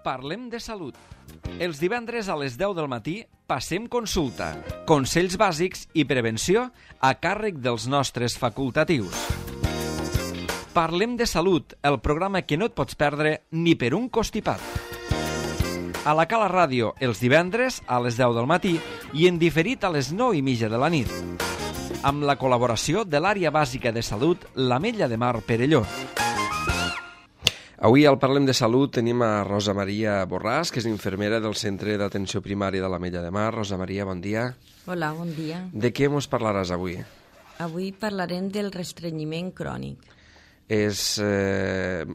Parlem de salut. Els divendres a les 10 del matí passem consulta, consells bàsics i prevenció a càrrec dels nostres facultatius. Parlem de salut, el programa que no et pots perdre ni per un costipat. A la Cala Ràdio, els divendres a les 10 del matí i en diferit a les 9:30 de la nit. Amb la col·laboració de l'Àrea Bàsica de Salut, l'Ametlla de Mar Perelló. Avui al Parlem de Salut tenim a Rosa Maria Borràs, que és infermera del Centre d'Atenció Primària de l'Ametlla de Mar. Rosa Maria, bon dia. Hola, bon dia. De què ens parlaràs avui? Avui parlarem del restrenyiment crònic.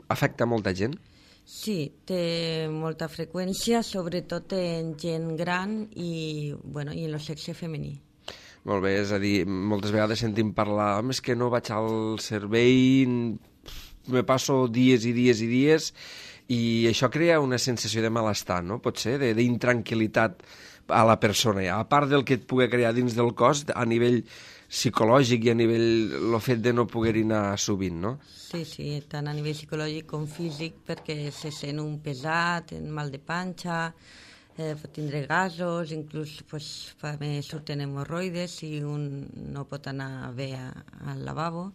Afecta molta gent? Sí, té molta freqüència, sobretot en gent gran i en el sexe femení. Molt bé, és a dir, moltes vegades sentim parlar, home, és que no vaig al servei, me passo dies i dies i dies, i això crea una sensació de malestar, no? Pot ser, d'intranquil·litat a la persona. A part del que et pugui crear dins del cos, a nivell psicològic i a nivell el fet de no poder-hi anar sovint, no? Sí, tant a nivell psicològic com físic, perquè se sent un pesat, un mal de panxa, pot tindre gasos, inclús també surten hemorroides si un no pot anar bé al lavabo.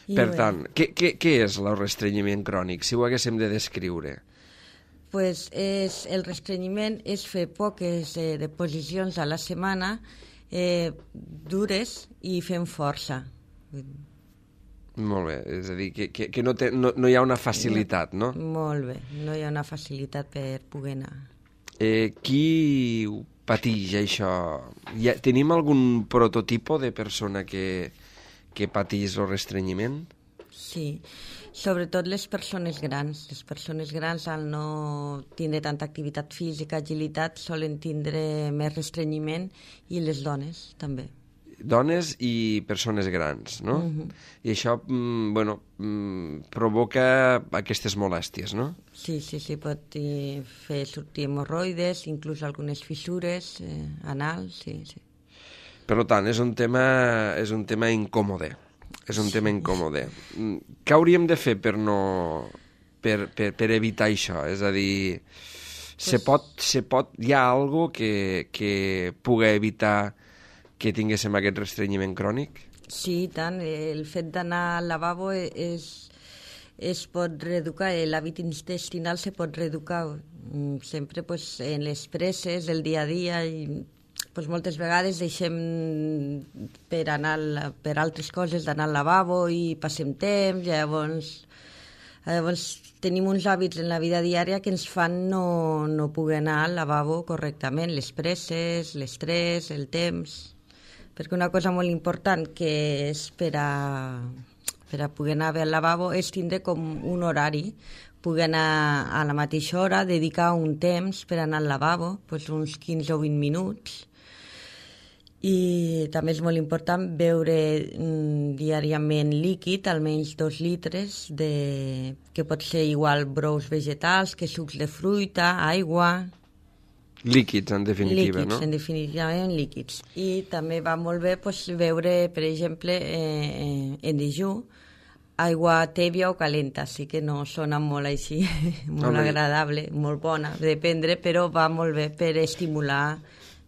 Per tant, què és el restrenyiment crònic, si ho haguéssim de descriure? El restrenyiment és fer poques deposicions a la setmana, dures i fent força. Molt bé, és a dir, que no hi ha una facilitat, no? Molt bé, no hi ha una facilitat per poder anar. Qui ho pateix, això? Tenim algun prototipo de persona que pateix el restrenyiment? Sí, sobretot les persones grans. Les persones grans, al no tindre tanta activitat física, agilitat, solen tindre més restrenyiment, i les dones també. Dones i persones grans, no? I això, provoca aquestes molèsties, no? Sí, pot fer sortir hemorroides, inclús algunes fissures anals, sí. Per tant, és un tema incòmode. És un tema incòmode. Què hauríem de fer per evitar això? És a dir, hi ha alguna cosa que pugui evitar que tinguéssim aquest restrenyiment crònic? Sí, tant. El fet d'anar al lavabo es pot reeducar, l'hàbit intestinal se pot reeducar sempre en les presses del dia a dia, i moltes vegades deixem per altres coses d'anar al lavabo i passem temps, llavors tenim uns hàbits en la vida diària que ens fan no poder anar al lavabo correctament, les presses, l'estrès, el temps. Perquè una cosa molt important que és per a poder anar bé al lavabo és tindre com un horari, poder anar a la mateixa hora, dedicar un temps per anar al lavabo, uns 15 o 20 minuts. I també és molt important beure diàriament líquid, almenys 2 litres, que pot ser igual brous vegetals que sucs de fruita, aigua. Líquids, en definitiva, no? Líquids, en definitiva, líquids. I també va molt bé beure, per exemple, en dejú, aigua tèbia o calenta, sí que no sona molt així, molt agradable, molt bona de prendre, però va molt bé per estimular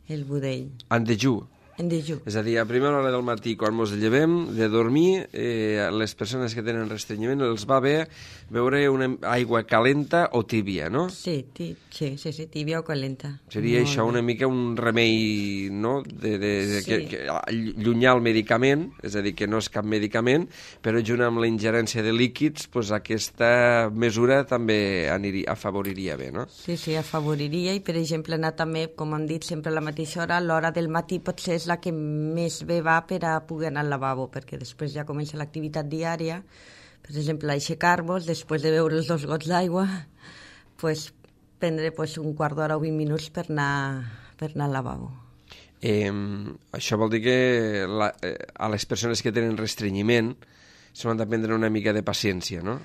el budell. En dejú? En dejú. És a dir, a primera hora del matí, quan ens llevem de dormir, les persones que tenen restrenyiment els va bé beure una aigua calenta o tíbia, no? Sí, tíbia o calenta. Seria això una mica un remei, no?, llunyar el medicament, és a dir, que no és cap medicament, però junt amb la ingerència de líquids, aquesta mesura també afavoriria bé, no? Sí, afavoriria, i per exemple anar també, com hem dit, sempre a la mateixa hora, a l'hora del matí potser és la que més bé va per a poder anar al lavabo, perquè després ja comença l'activitat diària. Per exemple, aixecar-vos, després de beure els 2 gots d'aigua, prendre un quart d'hora o 20 minuts per anar al lavabo. Això vol dir que a les persones que tenen restrenyiment s'han d'aprendre una mica de paciència, no?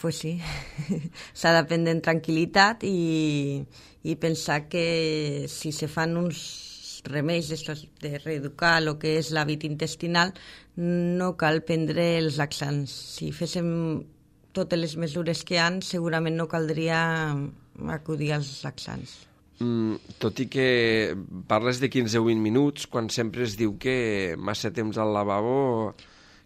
Pues sí, s'ha d'aprendre en tranquil·litat i pensar que si se fan uns remeis de reeducar el que és l'hàbit intestinal, no cal prendre els laxants. Si féssim totes les mesures que hi ha, segurament no caldria acudir als laxants. Tot i que parles de 15 o 20 minuts, quan sempre es diu que massa temps al lavabo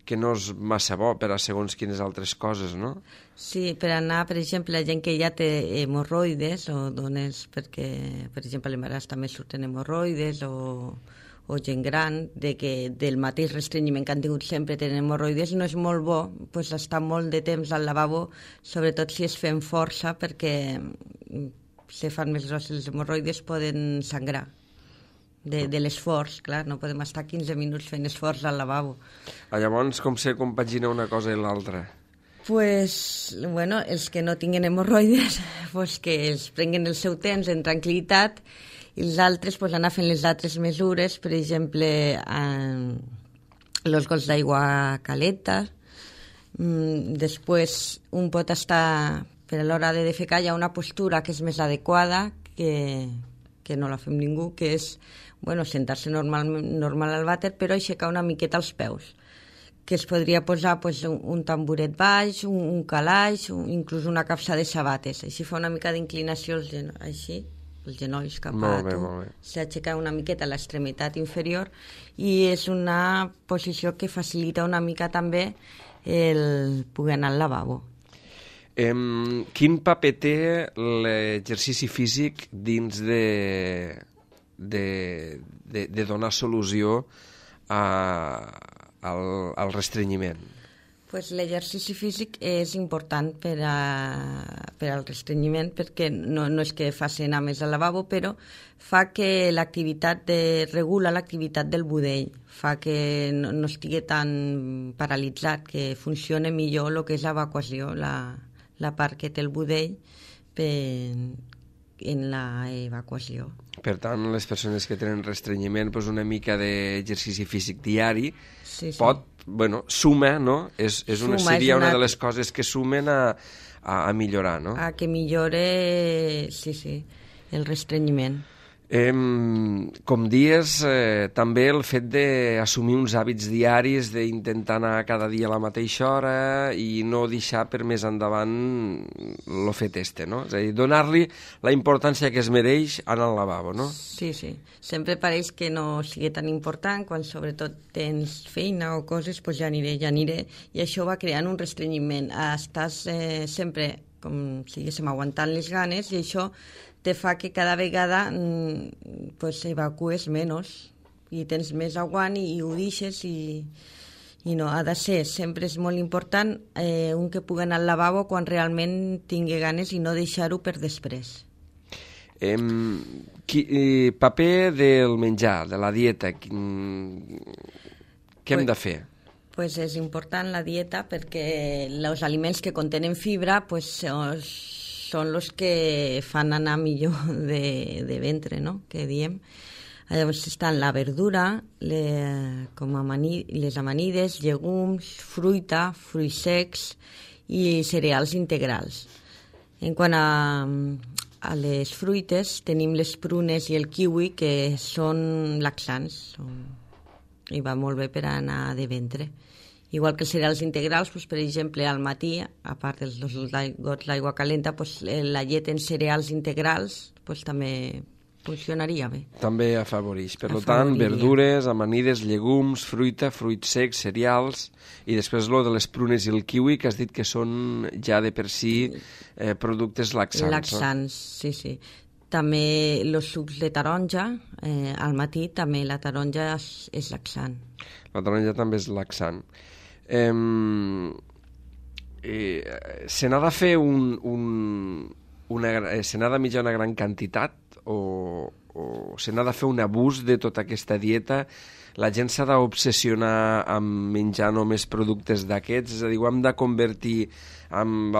que no és massa bo per a segons quines altres coses, no? Sí, per anar, per exemple, la gent que ja té hemorroides o dones perquè, per exemple, a l'embaràs també surten hemorroides o gent gran, del mateix restrenyiment que han tingut sempre tenen hemorroides, no és molt bo pues, estar molt de temps al lavabo, sobretot si es fem força, perquè si fan més grosses les hemorroides poden sangrar. De l'esforç, clar, no podem estar 15 minuts fent esforç al lavabo. Llavors, com se compagina una cosa i l'altra? Pues, bueno, els que no tinguin hemorroides, pues que els prenguen el seu temps en tranquil·litat i els altres pues, anar fent les altres mesures, per exemple, els gots d'aigua calenta. Després, un pot estar, per a l'hora de defecar, hi ha una postura que és més adequada, que no la fem ningú, que és sentar-se normal al vàter, però aixecar una miqueta els peus, que es podria posar un tamboret baix, un calaix, inclús una capsa de sabates. Així fa una mica d'inclinació així, els genolls cap a tu. S'aixeca una miqueta l'extremitat inferior i és una posició que facilita una mica també el poder anar al lavabo. Quin paper té l'exercici físic dins de donar solució al restrenyiment? Pues l'exercici físic és important per al restrenyiment perquè no és que faci anar més al lavabo, però fa que regula l'activitat del budell, fa que no estigui tan paralitzat, que funcione millor el que és l'evacuació, la part que té el budell en l'evacuació. Per tant, les persones que tenen restrenyiment, una mica d'exercici físic diari suma, no? Seria una de les coses que sumen a millorar, no? A que millore, el restrenyiment. Com dies, també el fet d'assumir uns hàbits diaris, d'intentar anar cada dia a la mateixa hora i no deixar per més endavant el fet no? És a dir, donar-li la importància que es mereix anar al lavabo, no? Sí. Sempre pareix que no sigui tan important, quan sobretot tens feina o coses, doncs ja aniré. I això va creant un restrenyiment. Estàs sempre, com si diguéssim, aguantant les ganes i això te fa que cada vegada evacues menys i tens més aguant i ho deixes i no, ha de ser, sempre és molt important un que pugui anar al lavabo quan realment tingui ganes i no deixar-ho per després. Paper del menjar, de la dieta, què hem de fer? Pues és important la dieta perquè els aliments que contenen fibra són els que fan anar millor de ventre, no?, que diem. Llavors estan la verdura, les amanides, llegums, fruita, fruits secs i cereals integrals. En quant a les fruites, tenim les prunes i el kiwi, que són laxants i va molt bé per anar de ventre. Igual que els cereals integrals, per exemple, al matí, a part dels gots d'aigua calenta, la llet en cereals integrals també funcionaria bé. També afavoreix. Per tant, verdures, amanides, llegums, fruita, fruits secs, cereals, i després de les prunes i el kiwi, que has dit que són ja de per si productes laxants. Laxants, sí. També els sucs de taronja, al matí també la taronja és laxant. La taronja també és laxant. Se n'ha de fer se n'ha de menjar una gran quantitat o se n'ha de fer un abús de tota aquesta dieta? La gent s'ha d'obsessionar amb menjar només productes d'aquests? És a dir, ho hem de convertir amb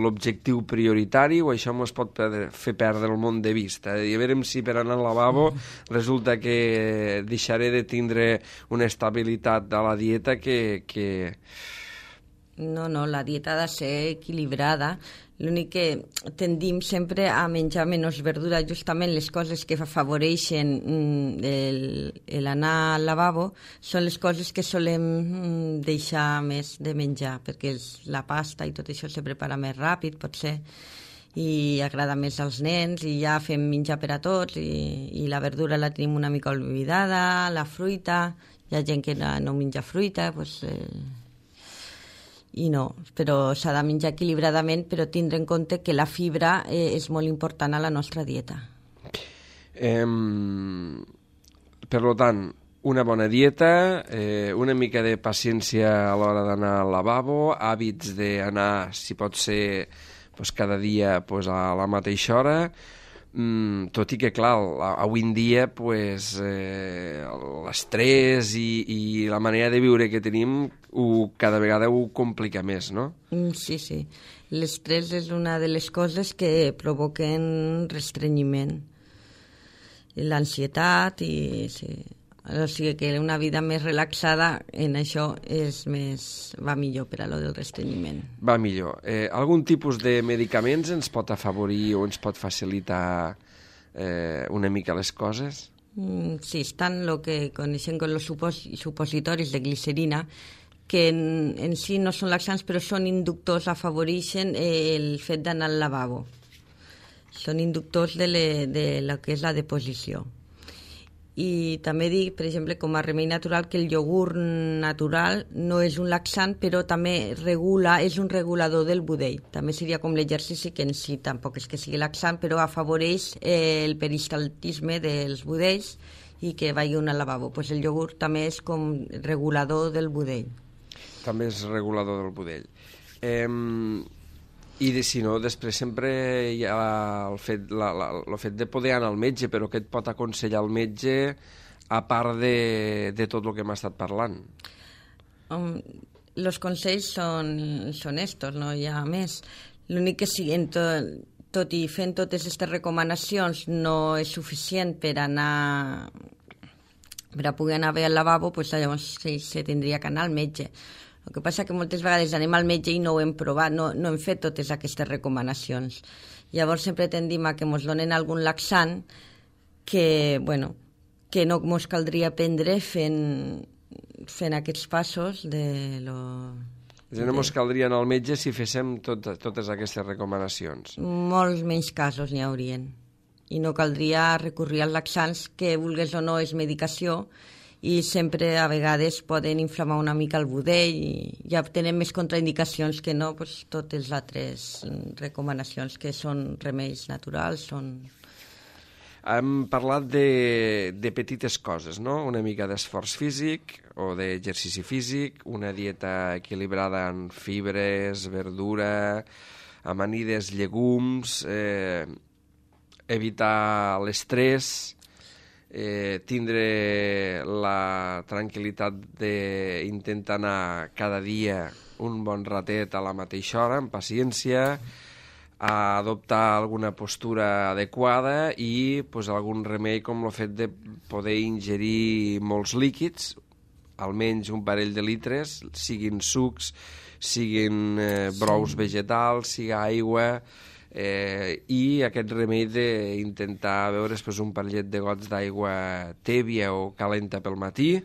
l'objectiu prioritari o això ens pot fer perdre el món de vista? I a veure si per anar al lavabo resulta que deixaré de tindre una estabilitat de la dieta que... No, la dieta ha de ser equilibrada. L'únic que tendim sempre a menjar menys verdura, justament les coses que afavoreixen l'anar al lavabo són les coses que solem deixar més de menjar, perquè la pasta i tot això se prepara més ràpid, potser, i agrada més als nens, i ja fem menjar per a tots, i la verdura la tenim una mica oblidada, la fruita, hi ha gent que no menja fruita, doncs, i no, però s'ha de menjar equilibradament, però tindre en compte que la fibra és molt important a la nostra dieta. Per tant, una bona dieta, una mica de paciència a l'hora d'anar al lavabo, hàbits d'anar, si pot ser, pues, cada dia pues, a la mateixa hora, tot i que, clar, avui en dia pues, l'estrès i la manera de viure que tenim cada vegada ho complica més, no? Sí, sí. L'estrès és una de les coses que provoquen restrenyiment. L'ansietat i... Sí. O sigui que una vida més relaxada en això va millor per a lo del restrenyiment. Va millor. Algun tipus de medicaments ens pot afavorir o ens pot facilitar una mica les coses? Sí, estan el que coneixem com els supositoris de glicerina, que en si no són laxants, però són inductors, afavoreixen el fet d'anar al lavabo. Són inductors de lo que és la deposició. I també dic, per exemple, com a remei natural, que el iogurt natural no és un laxant, però també és un regulador del budell. També seria com l'exercici, que en si tampoc és que sigui laxant, però afavoreix el peristaltisme dels budells i que vagi al lavabo. Pues el iogurt també és com regulador del budell. També és regulador del budell. I si no, després sempre hi ha el fet de poder anar al metge, però què et pot aconsellar el metge a part de tot el que hem estat parlant? Els consells són estos, no hi ha més. L'únic que siguin tot i fent totes aquestes recomanacions no és suficient per a poder anar bé al lavabo, doncs llavors sí, se tindria que anar al metge. El que passa que moltes vegades anem al metge i no ho hem provat, no hem fet totes aquestes recomanacions. Llavors sempre tendim a que ens donen algun laxant que no ens caldria prendre fent aquests passos de lo... No ens caldria anar al metge si féssim totes aquestes recomanacions. Molts menys casos n'hi haurien. I no caldria recurrir als laxants, que vulgues o no és medicació, i sempre a vegades poden inflamar una mica el budell i ja tenen més contraindicacions que no totes les altres recomanacions que són remeis naturals. Hem parlat de petites coses, no? Una mica d'esforç físic o d'exercici físic, una dieta equilibrada en fibres, verdura, amanides, llegums, evitar l'estrès, tindre la tranquil·litat d'intentar anar cada dia un bon ratet a la mateixa hora, amb paciència, a adoptar alguna postura adequada i algun remei com el fet de poder ingerir molts líquids, almenys un parell de litres, siguin sucs, siguin brous vegetals, sigui aigua... i aquest remei d'intentar beure després un parellet de gots d'aigua tèbia o calenta pel matí.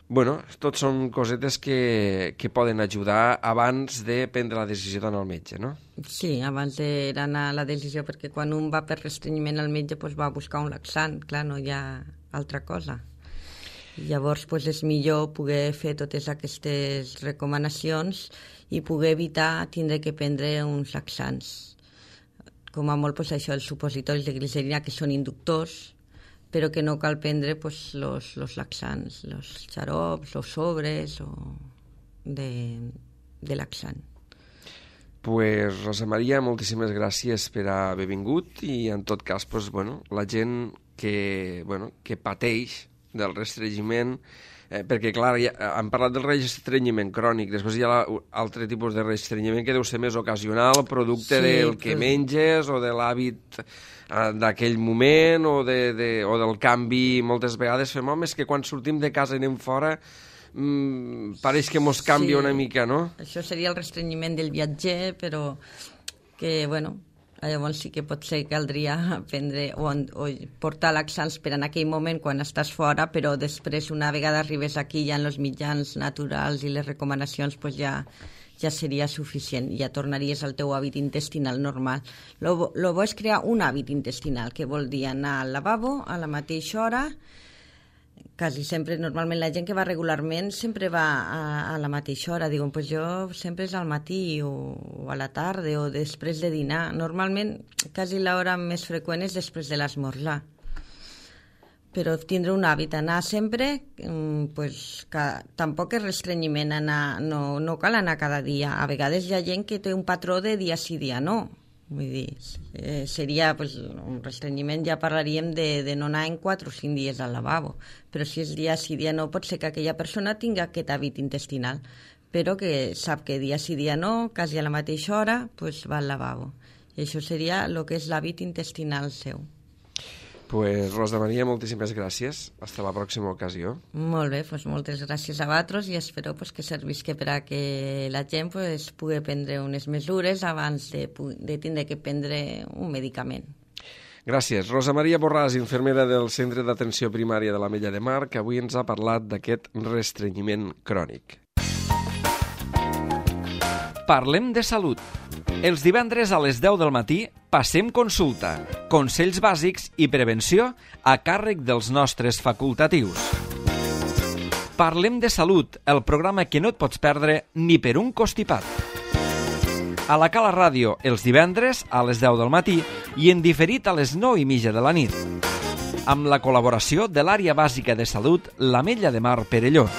Tots són cosetes que poden ajudar abans de prendre la decisió d'anar al metge, no? Sí, abans d'anar a la decisió, perquè quan un va per restrenyiment al metge va a buscar un laxant, clar, no hi ha altra cosa. Llavors és millor poder fer totes aquestes recomanacions i poder evitar tindre que prendre uns laxants. Com a molt això, els supositoris de glicerina, que són inductors, però que no cal prendre los laxants, los xarops, los sobres de laxant. Rosa Maria, moltíssimes gràcies per haver vingut i en tot cas la gent que pateix del restrenyiment, perquè clar, hem parlat del restrenyiment crònic, després hi ha altre tipus de restrenyiment que deu ser més ocasional, producte del que menges o de l'hàbit d'aquell moment o del canvi. Moltes vegades fem, és que quan sortim de casa i anem fora pareix que mos canvia una mica, no? Això seria el restrenyiment del viatger, però que, llavors sí que potser caldria prendre o portar laxants per en aquell moment quan estàs fora, però després una vegada arribes aquí ja en els mitjans naturals i les recomanacions ja ja seria suficient, ja tornaries al teu hàbit intestinal normal. Lo bo és crear un hàbit intestinal, que vol dir anar al lavabo a la mateixa hora. Quasi sempre, normalment la gent que va regularment sempre va a la mateixa hora. Diuen, pues jo sempre és al matí o a la tarda o després de dinar. Normalment, quasi l'hora més freqüent és després de l'esmorzar. Però tindre un hàbit, anar sempre, pues, tampoc és restrenyiment anar, no cal anar cada dia. A vegades hi ha gent que té un patró de dia sí, dia no. Vull dir, seria pues, un restrenyiment, ja parlaríem de no anar en 4 o 5 dies al lavabo, però si és dia sí, dia no, pot ser que aquella persona tingui aquest hàbit intestinal, però que sap que dia sí, dia no, quasi a la mateixa hora, pues va al lavabo. I això seria el que és l'hàbit intestinal seu. Pues, Rosa Maria, moltíssimes gràcies. Hasta la pròxima ocasió. Molt bé, pues moltes gràcies a vosaltres i espero pues, que servisca per a que la gent pues, pugui prendre unes mesures abans de tindre que prendre un medicament. Gràcies. Rosa Maria Borràs, infermera del Centre d'Atenció Primària de l'Ametlla de Mar, que avui ens ha parlat d'aquest restrenyiment crònic. Parlem de salut. Els divendres a les 10 del matí passem consulta, consells bàsics i prevenció a càrrec dels nostres facultatius. Parlem de salut, el programa que no et pots perdre ni per un costipat. A la Cala Ràdio, els divendres a les 10 del matí i en diferit a les 9:30 de la nit. Amb la col·laboració de l'Àrea Bàsica de Salut, l'Ametlla de Mar Perelló.